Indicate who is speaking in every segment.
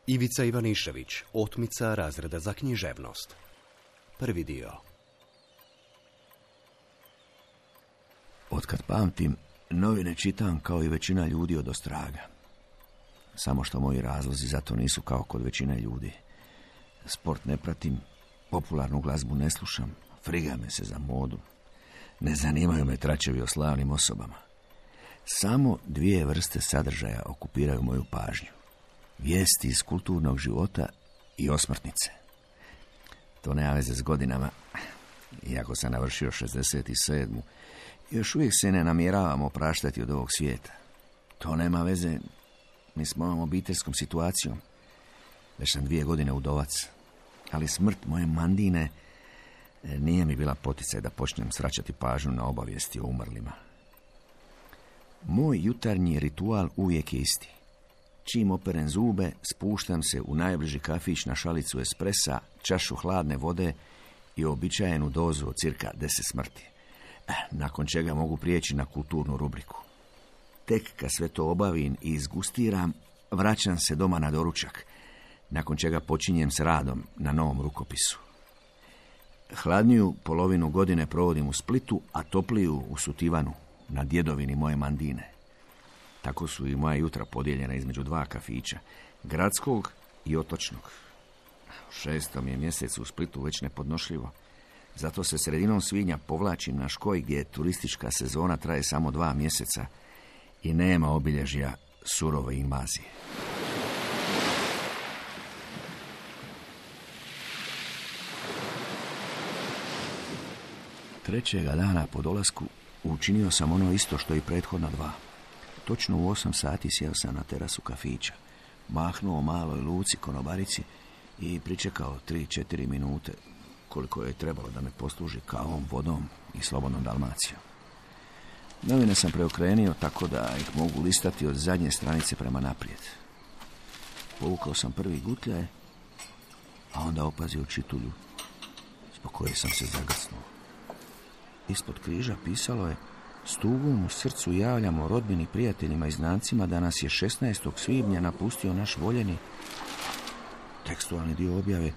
Speaker 1: Ivica Ivanišević, otmica razreda za književnost. Prvi dio.
Speaker 2: Otkad pamtim, novine čitam kao i većina ljudi od ostraga. Samo što moji razlozi za to nisu kao kod većine ljudi. Sport ne pratim, popularnu glazbu ne slušam, friga me se za modu. Ne zanimaju me tračevi o slavnim osobama. Samo dvije vrste sadržaja okupiraju moju pažnju. Vijesti iz kulturnog života i osmrtnice. To nema veze s godinama. Iako sam navršio 67. još uvijek se ne namjeravam opraštati od ovog svijeta. To nema veze ni s mojom obiteljskom situacijom. Već sam 2 godine udovac. Ali smrt moje mandine nije mi bila poticaj da počnem svraćati pažnju na obavijesti o umrlima. Moj jutarnji ritual uvijek je isti. Čim operem zube, spuštam se u najbliži kafić na šalicu espresa, čašu hladne vode i uobičajenu dozu od cirka 10 smrti. Nakon čega mogu prijeći na kulturnu rubriku. Tek kad sve to obavim i izgustiram, vraćam se doma na doručak, nakon čega počinjem s radom na novom rukopisu. Hladniju polovinu godine provodim u Splitu, a topliju u Sutivanu, na djedovini moje mandine. Tako su i moja jutra podijeljena između 2 kafića, gradskog i otočnog. U 6. je mjesecu u Splitu već nepodnošljivo. Zato se sredinom svibnja povlačim na Škoj, gdje turistička sezona traje samo 2 mjeseca i nema obilježja surove invazije. Trećega dana po dolasku učinio sam ono isto što i prethodna 2. Točno u 8 sati sjeo sam na terasu kafića, mahnuo maloj Luci konobarici i pričekao 3-4 minute, koliko je trebalo da me posluži kavom, vodom i slobodnom Dalmacijom. Novine sam preokrenio tako da ih mogu listati od zadnje stranice prema naprijed. Povukao sam prvi gutljaj, a onda opazio čitulju, zbog koje sam se zagrcnuo. Ispod križa pisalo je: s tugom u srcu javljamo rodbini, prijateljima i znancima da nas je 16. svibnja napustio naš voljeni. Tekstualni dio objave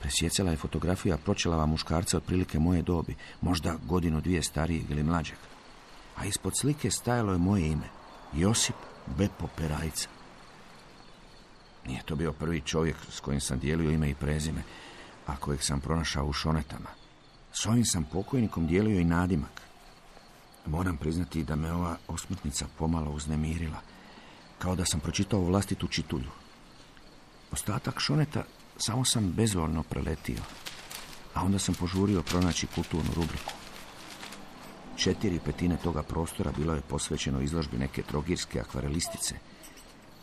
Speaker 2: presjecala je fotografija pročelava muškarca otprilike moje dobi, možda 1-2 starijeg ili mlađeg. A ispod slike stajalo je moje ime, Josip Bepo Perajca. Nije to bio prvi čovjek s kojim sam dijelio ime i prezime, a kojeg sam pronašao u šonetama. S ovim sam pokojnikom dijelio i nadimak. Moram priznati da me ova osmrtnica pomalo uznemirila, kao da sam pročitao vlastitu čitulju. Ostatak šoneta samo sam bezvoljno preletio, a onda sam požurio pronaći kulturnu rubriku. 4/5 toga prostora bilo je posvećeno izložbi neke trogirske akvarelistice,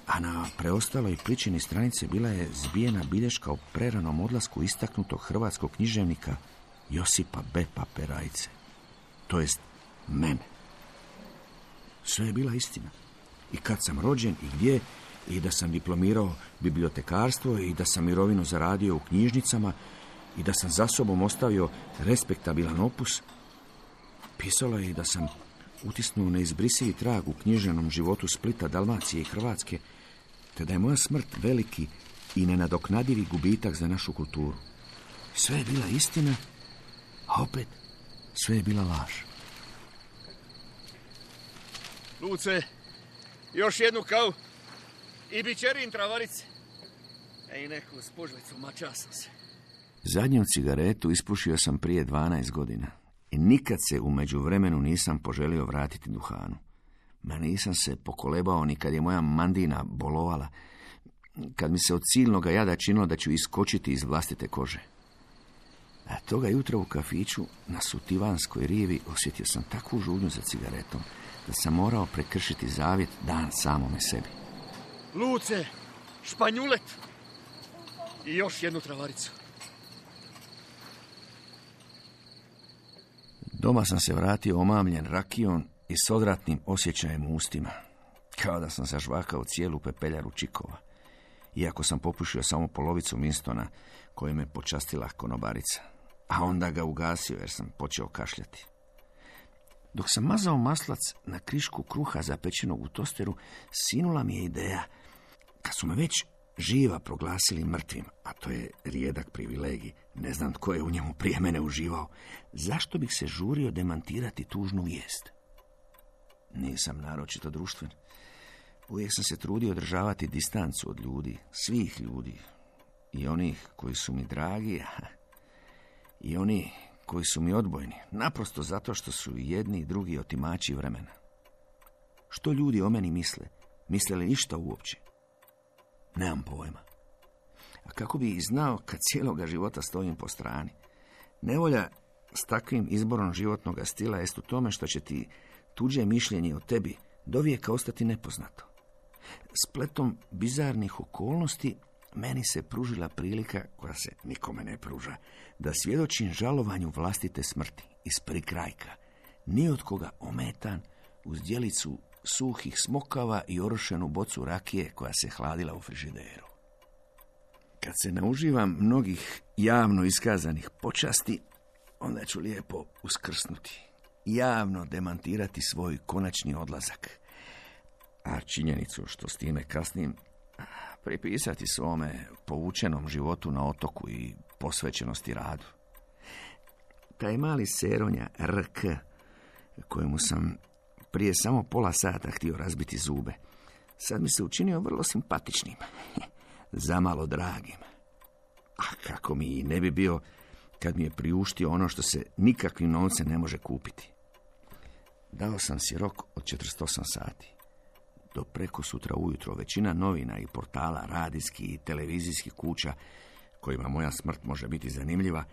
Speaker 2: a na preostaloj pličini stranice bila je zbijena bilješka o preranom odlasku istaknutog hrvatskog književnika Josipa Bepa Perajce. To jest mene. Sve je bila istina. I kad sam rođen i gdje, i da sam diplomirao bibliotekarstvo, i da sam mirovinu zaradio u knjižnicama, i da sam za sobom ostavio respektabilan opus. Pisalo je i da sam utisnuo neizbrisivi trag u književnom životu Splita, Dalmacije i Hrvatske, te da je moja smrt veliki i nenadoknadivi gubitak za našu kulturu. Sve je bila istina, a opet sve je bila laž.
Speaker 3: Luce, još jednu kavu i bićerin travarice. I neku spužlicu, mača sam se.
Speaker 2: Zadnju cigaretu ispušio sam prije 12 godina i nikad se u međuvremenu nisam poželio vratiti duhanu. Ma nisam se pokolebao ni kad je moja mandina bolovala, kad mi se od silnog jada činilo da ću iskočiti iz vlastite kože. A toga jutra u kafiću na Sutivanskoj rivi osjetio sam takvu žudnju za cigaretom da sam morao prekršiti zavjet dan samome sebi.
Speaker 3: Luce, španjulet i još jednu travaricu.
Speaker 2: Doma sam se vratio omamljen rakijom i s odvratnim osjećajem u ustima, kao da sam zažvakao cijelu pepeljaru čikova, iako sam popušio samo polovicu Winstona koju me počastila konobarica, a onda ga ugasio jer sam počeo kašljati. Dok sam mazao maslac na krišku kruha zapečenog u tosteru, sinula mi je ideja. Kad su me već živa proglasili mrtvim, a to je rijedak privilegij, ne znam tko je u njemu prije mene uživao, zašto bih se žurio demantirati tužnu vijest? Nisam naročito društven. Uvijek sam se trudio održavati distancu od ljudi, svih ljudi, i onih koji su mi dragi, i oni koji su mi odbojni, naprosto zato što su jedni i drugi otimači vremena. Što ljudi o meni misle? Misle li ništa uopće? Nemam pojma. A kako bi i znao kad cijeloga života stojim po strani? Nevolja s takvim izborom životnog stila jest u tome što će ti tuđe mišljenje o tebi dovijeka ostati nepoznato. Spletom bizarnih okolnosti meni se pružila prilika, koja se nikome ne pruža, da svjedočim žalovanju vlastite smrti iz prikrajka, ni od koga ometan, uz djelicu suhih smokava i orošenu bocu rakije koja se hladila u frižideru. Kad se nauživam mnogih javno iskazanih počasti, onda ću lijepo uskrsnuti, javno demantirati svoj konačni odlazak, a činjenicu što s time kasnim pripisati svome povučenom životu na otoku i posvećenosti radu. Taj mali seronja RK, kojemu sam prije samo pola sata htio razbiti zube, sad mi se učinio vrlo simpatičnim, zamalo dragim. A kako mi i ne bi bio kad mi je priuštio ono što se nikakvim novcem ne može kupiti. Dao sam si rok od 48 sati. Do preko sutra ujutro većina novina i portala, radijskih i televizijskih kuća kojima moja smrt može biti zanimljiva,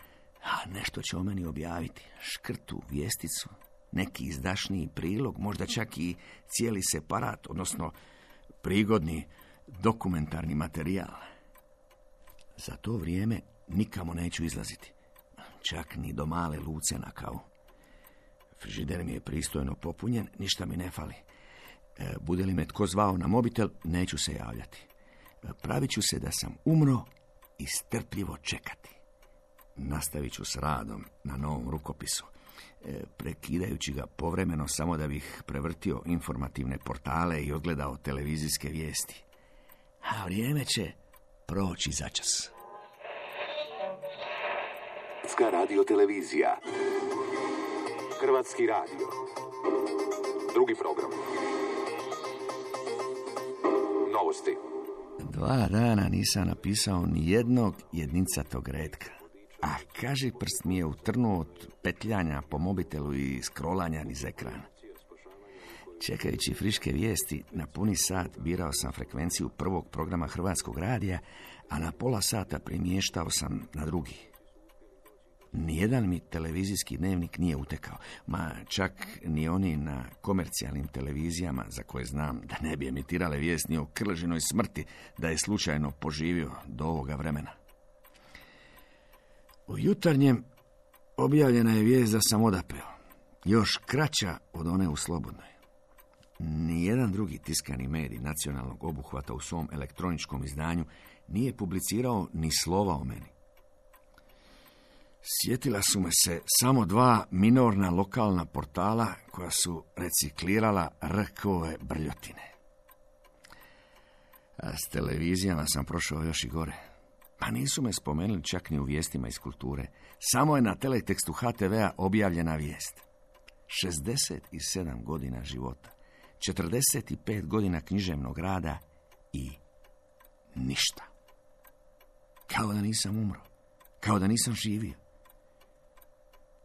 Speaker 2: a nešto će o meni objaviti, škrtu, vijesticu, neki izdašniji prilog, možda čak i cijeli separat, odnosno prigodni dokumentarni materijal. Za to vrijeme nikamo neću izlaziti, čak ni do male Luce na kavu. Frižider mi je pristojno popunjen, ništa mi ne fali. Bude li me tko zvao na mobitel, neću se javljati. Pravit ću se da sam umro i strpljivo čekati. Nastavit ću s radom na novom rukopisu, prekidajući ga povremeno samo da bih prevrtio informativne portale i odgledao televizijske vijesti. A vrijeme će proći začas.
Speaker 4: Hrvatska radiotelevizija. Hrvatski radio. Drugi program. Novosti.
Speaker 2: 2 dana nisam napisao ni jednog jednicatog retka. A kaži prst mi je utrnuo od petljanja po mobitelu i scrollanja niz ekrana. Čekajući friške vijesti, na puni sat birao sam frekvenciju prvog programa Hrvatskog radija, a na pola sata primještao sam na drugi. Nijedan mi televizijski dnevnik nije utekao, ma čak ni oni na komercijalnim televizijama za koje znam da ne bi emitirale vijest ni o Krležinoj smrti da je slučajno poživio do ovoga vremena. U Jutarnjem objavljena je vijest da sam odapeo, još kraća od one u Slobodnoj. Nijedan drugi tiskani medij nacionalnog obuhvata u svom elektroničkom izdanju nije publicirao ni slova o meni. Sjetila su me se samo 2 minorna lokalna portala koja su reciklirala RK-ove brljotine. A s televizijama sam prošao još i gore. Pa nisu me spomenuli čak ni u vijestima iz kulture. Samo je na teletekstu HTV-a objavljena vijest. 67 godina života, 45 godina književnog rada i ništa. Kao da nisam umro, kao da nisam živio.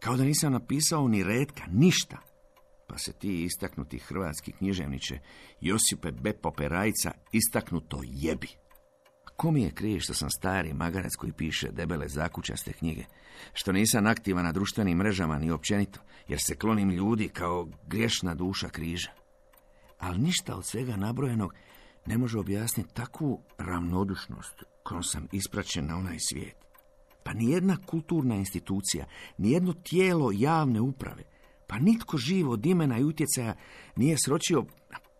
Speaker 2: Kao da nisam napisao ni retka, ništa. Pa se ti istaknuti hrvatski književniče Josipe Bepo Perajca istaknuto jebi. Ko mi je krije što sam stari magarac koji piše debele zakučaste knjige, što nisam aktivan na društvenim mrežama ni općenito, jer se klonim ljudi kao griješna duša križa. Ali ništa od svega nabrojenog ne može objasniti takvu ravnodušnost kojom sam ispraćen na onaj svijet. Pa nijedna kulturna institucija, nijedno tijelo javne uprave, pa nitko živ od imena i utjecaja nije sročio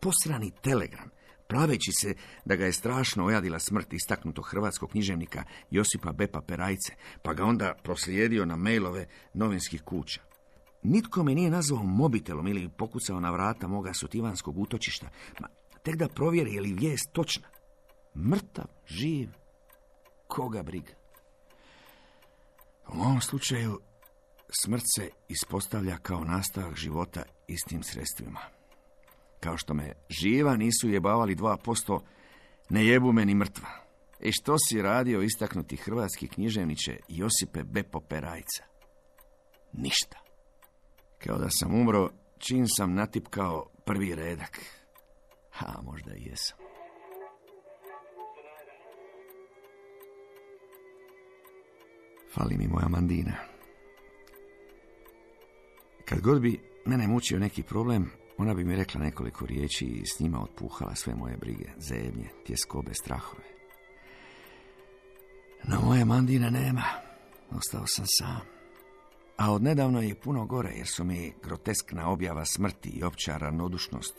Speaker 2: posrani telegram, praveći se da ga je strašno ojadila smrt istaknutog hrvatskog književnika Josipa Bepa Perajce, pa ga onda proslijedio na mailove novinskih kuća. Nitko me nije nazvao mobitelom ili pokucao na vrata moga sutivanskog utočišta, tek da provjeri je li vijest točna. Mrtav, živ, koga briga. U ovom slučaju smrt se ispostavlja kao nastavak života istim sredstvima. Kao što me živa nisu jebavali 2%, ne jebu me ni mrtva. I što si radio istaknuti hrvatski književniče Josipe Bepo Perajca? Ništa. Kao da sam umro čim sam natipkao prvi redak. A možda i jesam. Fali mi moja Mandina. Kad god bi mene mučio neki problem, ona bi mi rekla nekoliko riječi i s njima otpuhala sve moje brige, zebnje, tjeskobe, strahove. No moje Mandine nema. Ostao sam sam. A odnedavno je puno gore, jer su mi groteskna objava smrti i opća ravnodušnost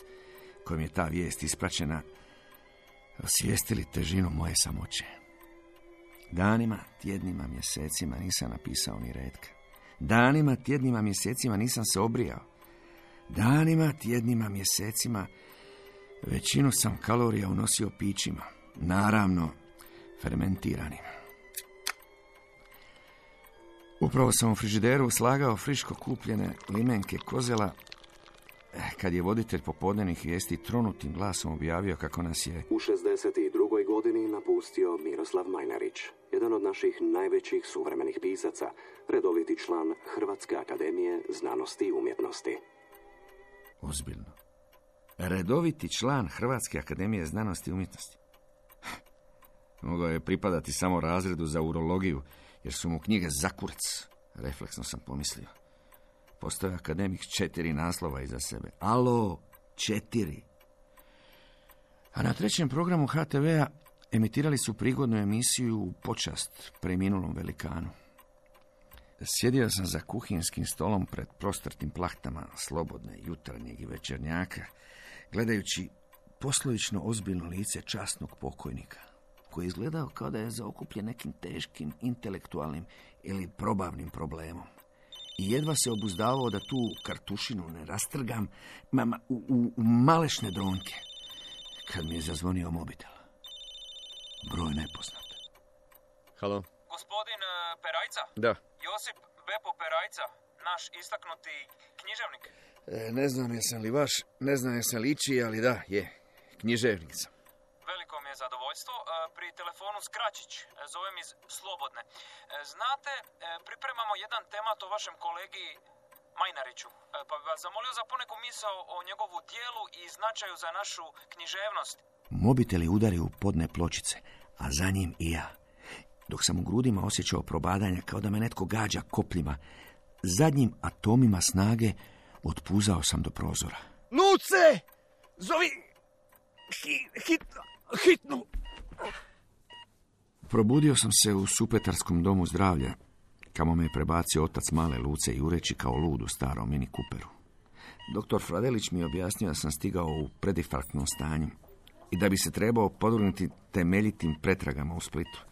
Speaker 2: kojom je ta vijest ispraćena osvijestili težinu moje samoće. Danima, tjednima, mjesecima nisam napisao ni retka. Danima, tjednima, mjesecima nisam se obrijao. Danima, tjednima, mjesecima većinu sam kalorija unosio pićima. Naravno, fermentiranim. Upravo sam u frižideru slagao friško kupljene limenke kozela, kad je voditelj popodnevnih vijesti tronutim glasom objavio kako nas je
Speaker 1: u 62. godini napustio Miroslav Majnarić, jedan od naših najvećih suvremenih pisaca, redoviti član Hrvatske akademije znanosti i umjetnosti.
Speaker 2: Ozbiljno. Redoviti član Hrvatske akademije znanosti i umjetnosti. Mogao je pripadati samo razredu za urologiju, jer su mu knjige za kurac. Refleksno sam pomislio. Postoje akademik 4 naslova iza sebe. Alo, 4. A na 3. programu HTV-a emitirali su prigodnu emisiju u počast preminulom velikanu. Sjedio sam za kuhinskim stolom pred prostrtim plahtama slobodne jutarnjeg i večernjaka, gledajući poslovično ozbiljno lice časnog pokojnika, koji je izgledao kao da je zaokupljen nekim teškim intelektualnim ili probavnim problemom. I jedva se obuzdavao da tu kartušinu ne rastrgam u malešne dronke, kad mi je zazvonio mobitel. Broj nepoznat.
Speaker 3: Halo?
Speaker 5: Gospodin Perajca?
Speaker 3: Da.
Speaker 5: Josip Bepo Perajca, naš istaknuti književnik.
Speaker 2: Ne znam jesam li vaš, ne znam jesam li ići, ali da, je, književnik sam.
Speaker 5: Veliko mi je zadovoljstvo. Pri telefonu Skračić, zovem iz Slobodne. Znate, pripremamo jedan temat o vašem kolegi Majnariću, pa bi vas zamolio za poneku misao o njegovu dijelu i značaju za našu književnost.
Speaker 2: Mobitel je udario u podne pločice, a za njim i ja. Dok sam u grudima osjećao probadanja kao da me netko gađa kopljima, zadnjim atomima snage otpuzao sam do prozora.
Speaker 3: Luce! Zovi! Hitnu!
Speaker 2: Probudio sam se u Supetarskom domu zdravlja, kamo me je prebacio otac male Luce jureći kao lud u starom Mini Cooperu. Doktor Fradelić mi je objasnio da sam stigao u predinfarktnom stanju i da bi se trebao podvrgnuti temeljitim pretragama u Splitu,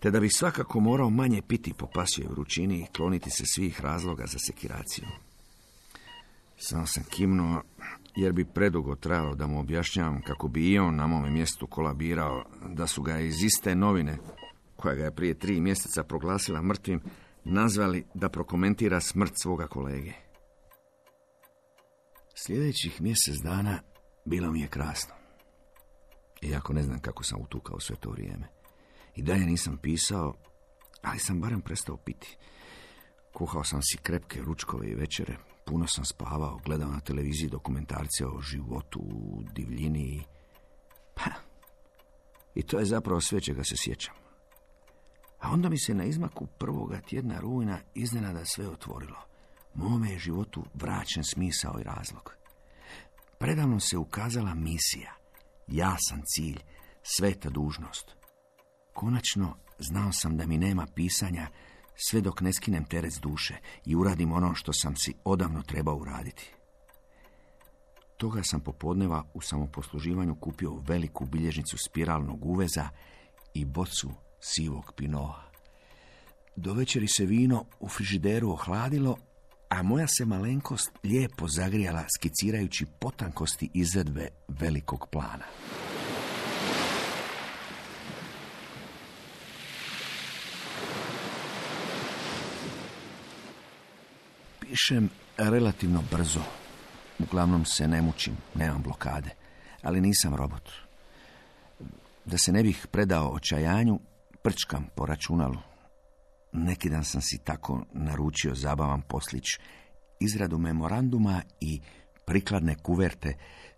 Speaker 2: te da bi svakako morao manje piti po pasjoj vrućini i kloniti se svih razloga za sekiraciju. Samo sam kimnuo, jer bi predugo trajalo da mu objašnjavam kako bi i on na mome mjestu kolabirao, da su ga iz iste novine, koja ga je prije 3 mjeseca proglasila mrtvim, nazvali da prokomentira smrt svoga kolege. Sljedećih mjesec dana bilo mi je krasno. Iako ne znam kako sam utukao sve to vrijeme. I dalje nisam pisao, ali sam barem prestao piti. Kuhao sam si krepke ručkove i večere, puno sam spavao, gledao na televiziji dokumentarce o životu u divljini. I to je zapravo sve čega se sjećam. A onda mi se na izmaku 1. tjedna rujna iznenada sve otvorilo. Mome je životu vraćen smisao i razlog. Predavno se ukazala misija, jasan cilj, sveta dužnost. Konačno znao sam da mi nema pisanja sve dok ne skinem teret s duše i uradim ono što sam si odavno trebao uraditi. Toga sam popodneva u samoposluživanju kupio veliku bilježnicu spiralnog uveza i bocu sivog pinoa. Do večeri se vino u frižideru ohladilo, a moja se malenkost lijepo zagrijala skicirajući potankosti izvedbe velikog plana. Pišem relativno brzo. Uglavnom se ne mučim, nemam blokade, ali nisam robot. Da se ne bih predao očajanju, prčkam po računalu. Neki dan sam si tako naručio zabavan poslić, izradu memoranduma i prikladne kuverte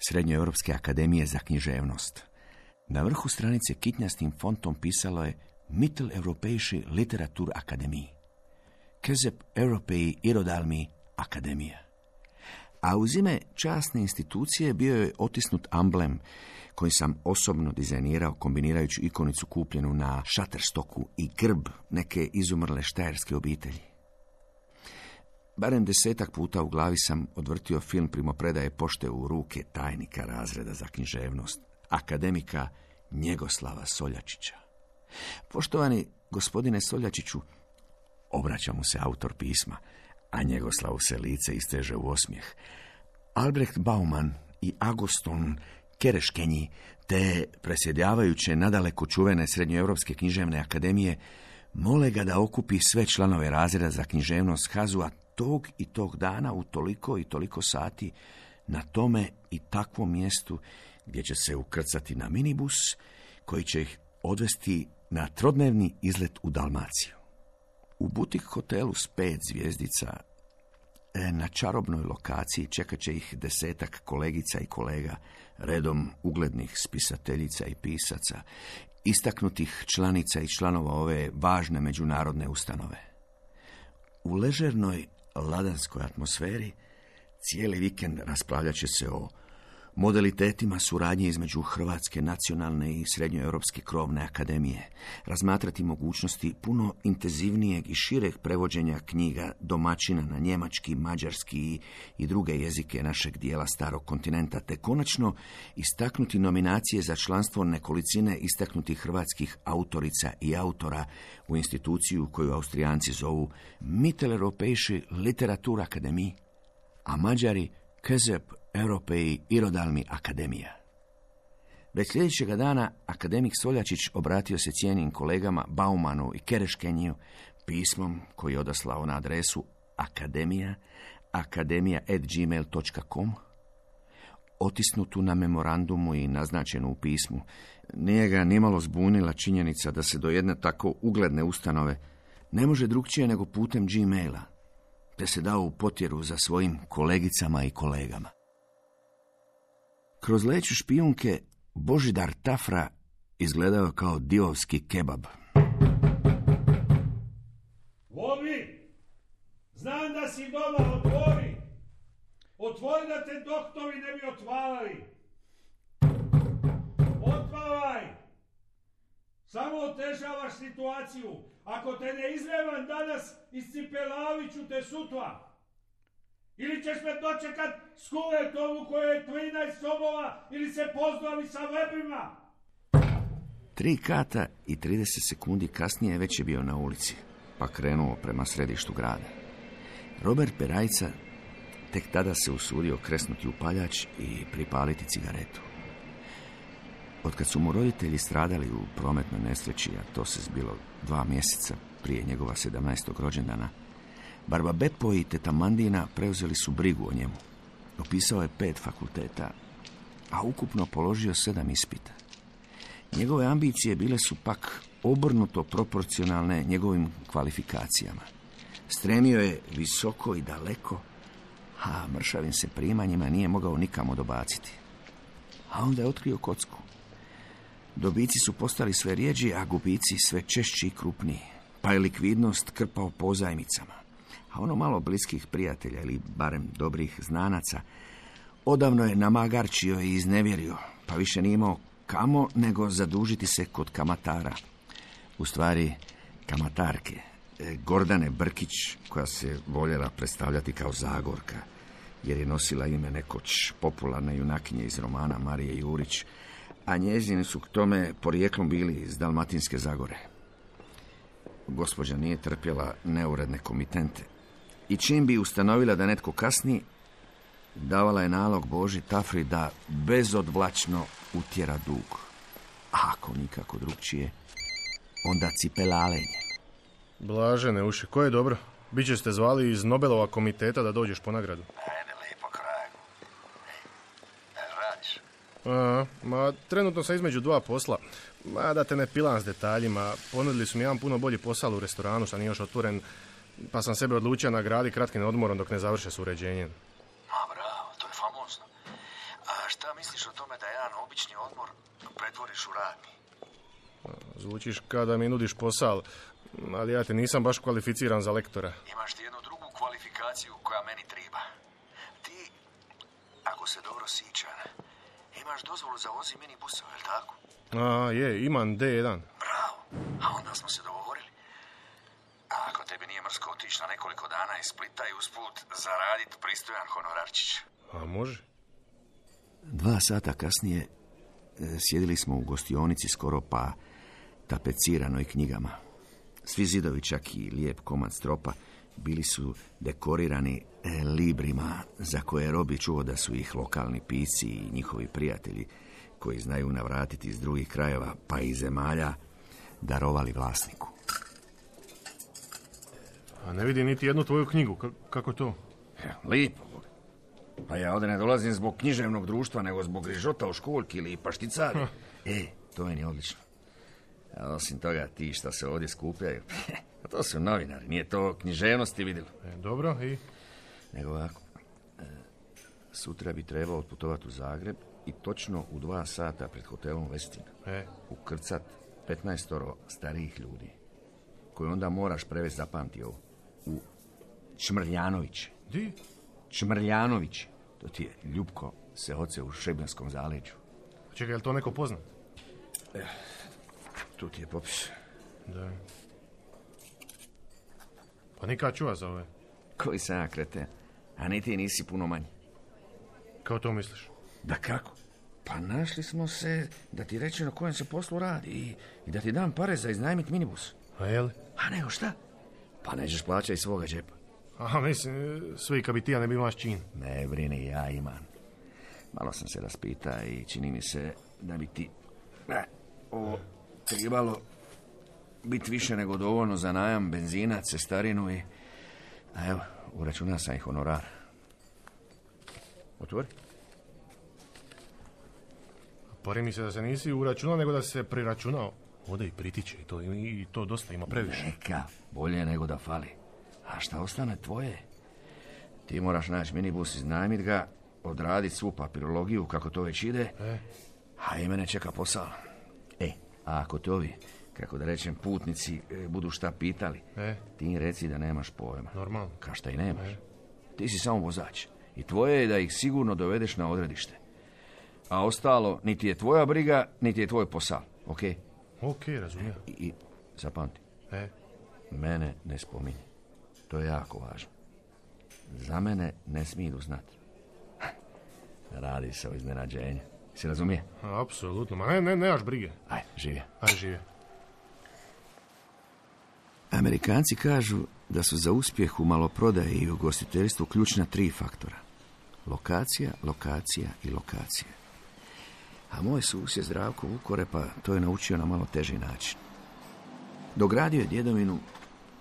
Speaker 2: Srednjoeuropske akademije za književnost. Na vrhu stranice kitnjastim fontom pisalo je Mitteleuropäische Literatur-Akademie. Kezep Europei Irodalmi Akademija. A uz ime časne institucije bio je otisnut amblem koji sam osobno dizajnirao kombinirajući ikonicu kupljenu na Shutterstocku i grb neke izumrle štajerske obitelji. Barem 10 puta u glavi sam odvrtio film primopredaje pošte u ruke tajnika razreda za književnost, akademika Njegoslava Soljačića. Poštovani gospodine Soljačiću, obraća mu se autor pisma, a Njegoslavu se lice isteže u osmijeh. Albrecht Bauman i Agustin Kereškenji, te presjedavajuće nadaleko čuvene Srednjoeuropske književne akademije, mole ga da okupi sve članove razreda za književnost HAZU-a tog i tog dana u toliko i toliko sati na tome i takvom mjestu gdje će se ukrcati na minibus koji će ih odvesti na trodnevni izlet u Dalmaciju. U butik hotelu s 5 zvjezdica na čarobnoj lokaciji čekat će ih 10 kolegica i kolega, redom uglednih spisateljica i pisaca, istaknutih članica i članova ove važne međunarodne ustanove. U ležernoj ladanskoj atmosferi cijeli vikend raspravljat će se o modalitetima suradnje između Hrvatske nacionalne i Srednjoeuropske krovne akademije, razmatrati mogućnosti puno intenzivnijeg i šireg prevođenja knjiga domaćina na njemački, mađarski i druge jezike našeg dijela starog kontinenta, te konačno istaknuti nominacije za članstvo nekolicine istaknutih hrvatskih autorica i autora u instituciju koju Austrijanci zovu Mitteleuropäische Literatur-Akademie, a Mađari Kezep Europei Irodalmi Akademija. Već sljedećega dana akademik Soljačić obratio se cijenim kolegama Baumanu i Kereškenju pismom koji je odaslao na adresu akademija@gmail.com, otisnutu na memorandumu i naznačenu u pismu. Nije ga nimalo zbunila činjenica da se do jedne tako ugledne ustanove ne može drukčije nego putem Gmaila, te se dao u potjeru za svojim kolegicama i kolegama. Kroz leću špijunke Božidar Tafra izgledao kao divovski kebab.
Speaker 6: Vobi, znam da si doma, otvori. Otvori da te doktori ne bi otvarali. Otvaraj. Samo otežavaš situaciju. Ako te ne izvevam danas, iscipelavit ću te sutra. Ili ćeš me dočekat s kuletom u kojoj je 13 sobova ili se pozdravi sa vebrima.
Speaker 2: 3 kata i 30 sekundi kasnije već je bio na ulici, pa krenuo prema središtu grada. Robert Perajca tek tada se usudio kresnuti upaljač i pripaliti cigaretu. Otkad su mu roditelji stradali u prometnoj nesreći, a to se zbilo 2 mjeseca prije njegova 17. rođendana, Barba Beppo i teta Mandina preuzeli su brigu o njemu. Upisao je 5 fakulteta, a ukupno položio 7 ispita. Njegove ambicije bile su pak obrnuto proporcionalne njegovim kvalifikacijama. Stremio je visoko i daleko, a mršavim se primanjima nije mogao nikamo dobaciti. A onda je otkrio kocku. Dobici su postali sve rjeđi, a gubici sve češći i krupniji, pa je likvidnost krpao pozajmicama. A ono malo bliskih prijatelja, ili barem dobrih znanaca, odavno je namagarčio i iznevjerio, pa više nije imao kamo nego zadužiti se kod kamatara. U stvari, kamatarke, Gordane Brkić, koja se voljela predstavljati kao Zagorka, jer je nosila ime nekoć popularne junakinje iz romana Marije Jurić, a njezini su k tome porijeklom bili iz Dalmatinske Zagore. Gospođa nije trpjela neuredne komitente i čim bi ustanovila da netko kasni, davala je nalog Boži Tafri da bezodvlačno utjera dug. A ako nikako drugčije, onda cipelalenje.
Speaker 7: Blažene uši, ko je dobro? Biće ste zvali iz Nobelova komiteta da dođeš po nagradu.
Speaker 2: Ajde, lijepo kragu. Radiš?
Speaker 7: Ma, trenutno sam između dva posla. Ma, da te ne pilam s detaljima. Ponudili su mi jedan puno bolji posao u restoranu, što nije još otvoren, pa sam sebe odlučio nagraditi kratkim odmorom dok ne završe s uređenjem.
Speaker 2: Ma, bravo, to je famozno. A šta misliš o tome da jedan obični odmor pretvoriš u radni?
Speaker 7: Zvučiš kada mi nudiš posao, ali ja te nisam baš kvalificiran za lektora.
Speaker 2: Imaš ti jednu drugu kvalifikaciju koja meni treba. Ti, ako se dobro sićam, imaš dozvolu za vozi minibusov, je li tako?
Speaker 7: Je, imam D1.
Speaker 2: Bravo, a onda smo se dogovorili. A ako tebi nije mrsko otići na nekoliko dana iz Splita i usput zaraditi pristojan honorarčić?
Speaker 7: A može?
Speaker 2: 2 sata kasnije sjedili smo u gostionici skoro pa tapeciranoj knjigama. Svi zidovi, čak i lijep komad stropa, bili su dekorirani librima za koje Robi čuo da su ih lokalni pisci i njihovi prijatelji, koji znaju navratiti iz drugih krajeva pa i zemalja, darovali vlasniku.
Speaker 7: A ne vidim niti jednu tvoju knjigu. Kako to?
Speaker 2: Lijepo. Pa ja ovdje ne dolazim zbog književnog društva, nego zbog rižota u školjki ili pašticari. To meni je odlično. A osim toga, ti što se ovdje skupljaju, to su novinari, nije to književnosti vidjelo.
Speaker 7: Dobro, i?
Speaker 2: Nego ovako, sutra bi trebao otputovati u Zagreb i točno u 2 sata pred hotelom Westin ukrcat 15 starijih ljudi, koje onda moraš prevesti, zapamti ovo, u Čmrljanović.
Speaker 7: Di?
Speaker 2: Čmrljanović, to ti je Ljupko se oce u Šibenskom zaleđu.
Speaker 7: Čekaj, je li to neko poznat?
Speaker 2: Tu ti je popis.
Speaker 7: Da. Pa nikad čuva za ove.
Speaker 2: Koji sam ja kreten, a ni ti nisi puno manji.
Speaker 7: Kao to misliš?
Speaker 2: Da kako? Pa našli smo se da ti reći na kojem se poslu radi i da ti dam pare za iznajmit minibus.
Speaker 7: A jel?
Speaker 2: A nego šta? Pa nećeš plaćati iz svoga džepa.
Speaker 7: Aha, mislim, svi kad bi ti ja ne bi imaš čin.
Speaker 2: Ne brini, ja imam. Malo sam se raspita i čini mi se da bi ti ovo trebalo biti više nego dovoljno za najam benzina, cestarinu i... A evo, uračunao sam i honorar.
Speaker 7: Otvori. Pari mi se da se nisi uračunao, nego da se priračunao. Ode i pritiče i to dosta ima previše.
Speaker 2: Neka, bolje nego da fali. A šta ostane tvoje? Ti moraš naći minibus, iznajmit ga, odraditi svu papirologiju kako to već ide, a i mene čeka posao. A ako to ovi, kako da rečem, putnici budu šta pitali, ti im reci da nemaš pojma.
Speaker 7: Normalno.
Speaker 2: Ka šta i nemaš. Ti si samo vozač i tvoje je da ih sigurno dovedeš na odredište. A ostalo, niti je tvoja briga, niti je tvoj posao, ok?
Speaker 7: Ok, razumijem.
Speaker 2: I zapamti, mene ne spominje. To je jako važno. Za mene ne smiju znati. Radi se o iznenađenju. Si razumije?
Speaker 7: Apsolutno, ma nemaš brige.
Speaker 2: Aj, živje.
Speaker 7: Aj, živje.
Speaker 2: Amerikanci kažu da su za uspjeh u maloprodaji i ugostiteljstvu ključna 3 faktora. Lokacija, lokacija i lokacija. A moj susjed Zdravko Vukorepa to je naučio na malo teži način. Dogradio je djedovinu,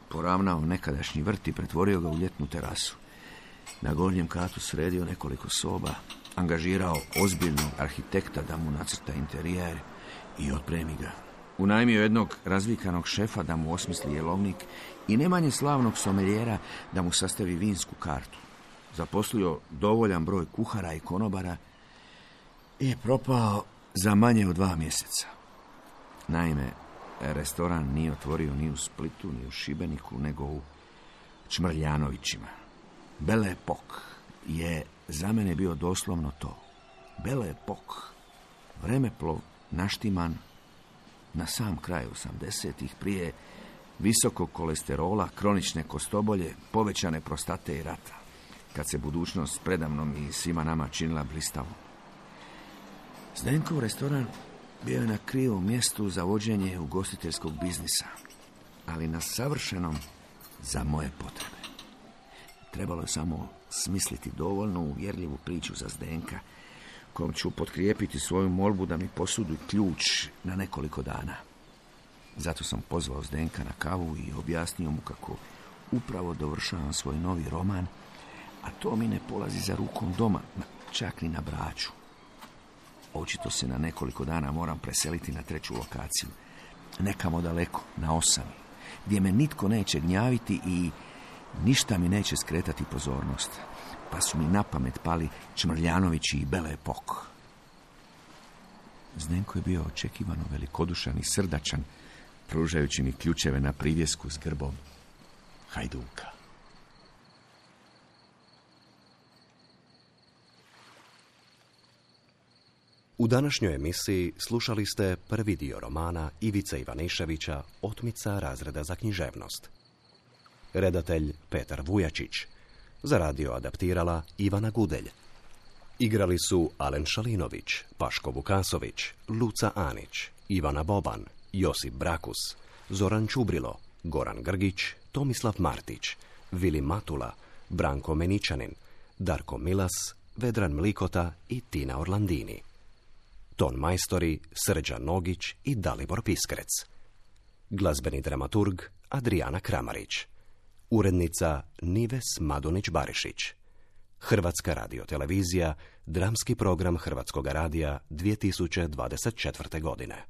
Speaker 2: poravnao nekadašnji vrt i pretvorio ga u ljetnu terasu. Na gornjem katu sredio nekoliko soba, angažirao ozbiljnog arhitekta da mu nacrta interijer i otpremi ga. Unajmio jednog razvikanog šefa da mu osmisli jelovnik i ne manje slavnog someljera da mu sastavi vinsku kartu. Zaposlio dovoljan broj kuhara i konobara i propao za manje od 2 mjeseca. Naime, restoran nije otvorio ni u Splitu, ni u Šibeniku, nego u Čmrljanovićima. Belle Époque je za mene bio doslovno to. Belle Époque, vremeplov naštiman na sam kraj 80-ih, prije visokog kolesterola, kronične kostobolje, povećane prostate i rata, kad se budućnost predamnom i svima nama činila blistavom. Zdenkov restoran bio je na krivom mjestu za vođenje ugostiteljskog biznisa, ali na savršenom za moje potrebe. Trebalo je samo smisliti dovoljno uvjerljivu priču za Zdenka, kojom ću potkrijepiti svoju molbu da mi posudi ključ na nekoliko dana. Zato sam pozvao Zdenka na kavu i objasnio mu kako upravo dovršavam svoj novi roman, a to mi ne polazi za rukom doma, čak ni na Braču. Očito se na nekoliko dana moram preseliti na 3. lokaciju. Nekamo daleko, na Osami, gdje me nitko neće gnjaviti i ništa mi neće skretati pozornost. Pa su mi na pamet pali Čmrljanović i Bele Pok. Zdenko je bio očekivano velikodušan i srdačan, pružajući mi ključeve na privjesku s grbom Hajduka.
Speaker 1: U današnjoj emisiji slušali ste prvi dio romana Ivice Ivaniševića Otmica razreda za književnost. Redatelj Petar Vujačić. Za radio adaptirala Ivana Gudelj. Igrali su Alen Šalinović, Paško Vukasović, Luca Anić, Ivana Boban, Josip Brakus, Zoran Čubrilo, Goran Grgić, Tomislav Martić, Vili Matula, Branko Meničanin, Darko Milas, Vedran Mlikota i Tina Orlandini. Ton majstori Srđan Nogić i Dalibor Piskrec. Glazbeni dramaturg Adrijana Kramarić. Urednica Nives Madunić-Barišić. Hrvatska radiotelevizija, dramski program Hrvatskog radija 2024. godine.